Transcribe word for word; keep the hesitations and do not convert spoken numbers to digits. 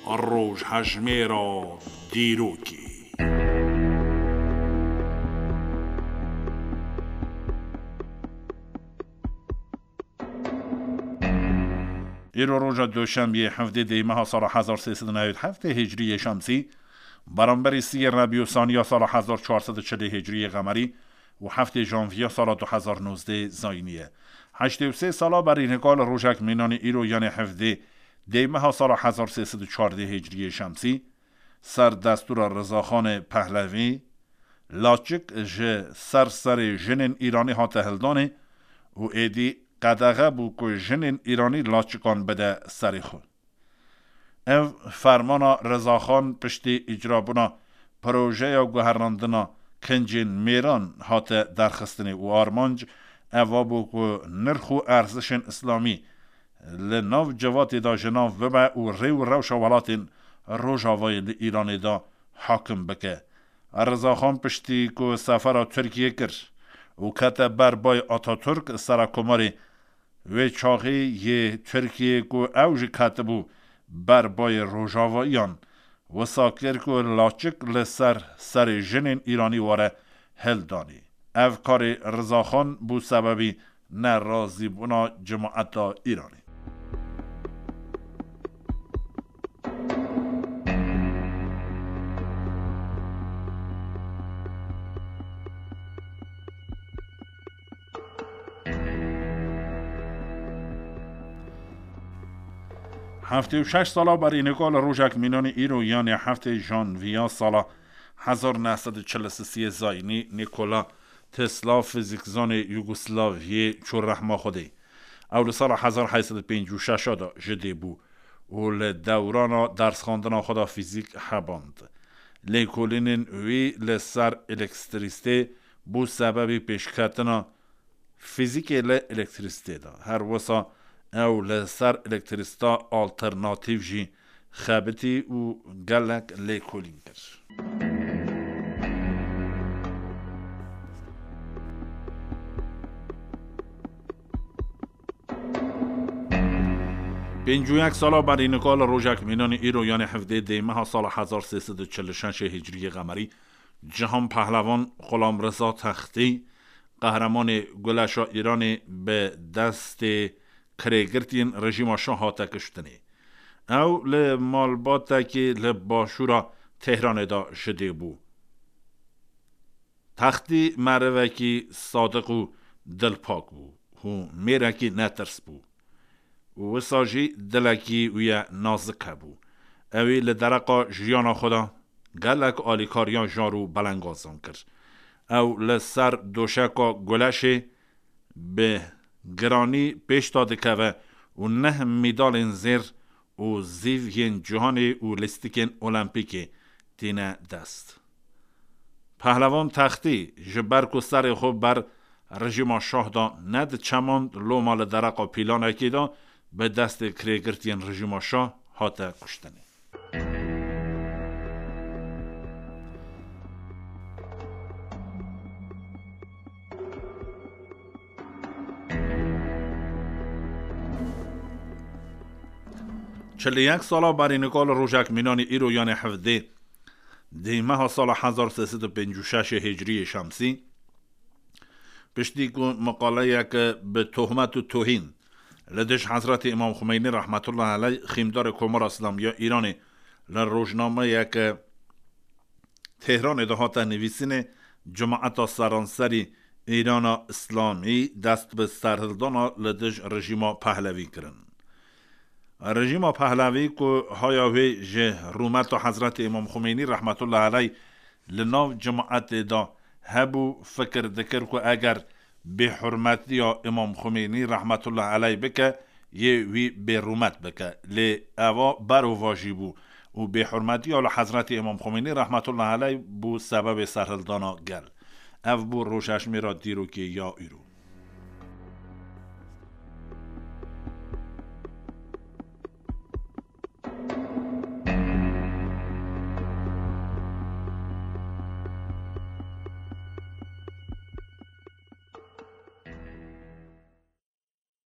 Rojhejmêra dîrokê. Îro roja Doşembiyê, hevdê dê meha sala hezar sê sed û newêd heftê Hicriyê Şemsî, beramberî siyê Rebî û Saniya sala hezar çar sed û çilê Hicriyê Qemerî û heftê Janviya sala du hezar nozdeh Zayînî ye. Heştê û sê sala berî nika li rojek mînanî îro, yanê hevdê dê meha sala hezar sê sed û çardeh Hicriyê Şemsî, ser destûra Rizaxanê Pehlevî, laçik ji ser serê jinên Îranî hate hildanê û êdî qedexe bû ku jinên Îranî laçikan bide serê xwe. Ev fermana Rizaxan piştî îcrabûna projeya guherandina kincên mêran hate derxistinê û armanc eva bû ku nirx û erzişên îslamî li nav civatê de ji nav bibe û rê û rewşa welatên Rojavayê li Îranê de hakim bike. Rizaxan piştî ku sefera Tirkiyê kir û kete ber bay Ataturk, serekomarê wê çaxê yê Tirkiyê ku ew jî ketibû ber bayê Rojavayiyan, wisa kir ku laçik li ser serê jinên Îranî were hildanê. Ev karê Rizaxan bû sebebî nerazîbûna cemaeta Îranê. Heftê û şeş sala berî nika li rojek mînanî îro, yanê heftê Janviya sala hezar neh sed û çil û sê Zayînî, Nikola Tesla, fizîkzanê Yugoslaviyê, çû rehma Xwedê. Ew li sala hezar heyt sed û pêncî û şeş de ji dê bû û li dewrana dersxandina xwe de fîzîk heband. Lêkolînên wî li ser elektrîsitê bû sebebî pêşketina fîzîkê li elektrîsitê de. Her wisa ew li ser elektrîsita alternatîf jî xebitî û gelek lêkolîn kir. Pêncî û yek sala berî nika li rojek mînanî îro, yanê hevdê dê meha sala hezar sê sed û çil û şeş Hicriyê Qemerî, Cihan Pehlevan Xulamriza Textî, qehremanê guleşa Îranê, bi destê kirêgirtiyên rejîma Şah hate kuştinê. Ew li malbatekê li başûra Tehranê de ji dê bû. Textî merivekî sadiq û dilpak bû û mêrekî netirs bû. Û wisa jî dilekî wî ye nazik hebû. Ew ê li dereqa jiyana xwe de gelek alîkariya jar û belengazan kir. Ew li ser doşeka guleşê bi giranî pêş de dikeve û neh medalên zêr û zîv yên cîhanê û lîstikên Olempîkê tîne dest. Pehlevan Textî ji ber ku serê xwe ber rejîma Şah de nediçemand, loma li dereqa pîlanekê de bi destê kirêgirtiyên rejîma Şah hate kuştinê. Çil û yek sala berî nika li rojek mînanî îro, yanê hevdê dê meha sala hezar sê sed û pêncî û şeş Hicriyê Şemsî, piştî ku miqaleyeke bi tohmet û tohîn li dij Hezretî Îmam Xumeynî rehmetullah eleyh, xîmdarê Komara Îslamî ya Îranê, li rojnameyeke Tehranê de hate nivîsînê, cemaeta seranserî Îrana Îslamî dest bi serhildana li dij rejîma Pehlevî kirin. Rejîma Pehlevî ku haya wê ji rûmeta Hezretî Îmam Xumeynî rehmetullah eleyh li nav cemaetê de hebû, fikir dikir ku eger bêhurmetiya Îmam Xumeynî rehmetullah eleyh bike, yê wî bêrûmet bike. Lê eva berovajî bû û bêhurmetiya li Hezretî Îmam Xumeynî rehmetullah eleyh bû sebebê serhildana gel. Ev bû rojhejmêra dîrokê ya îro.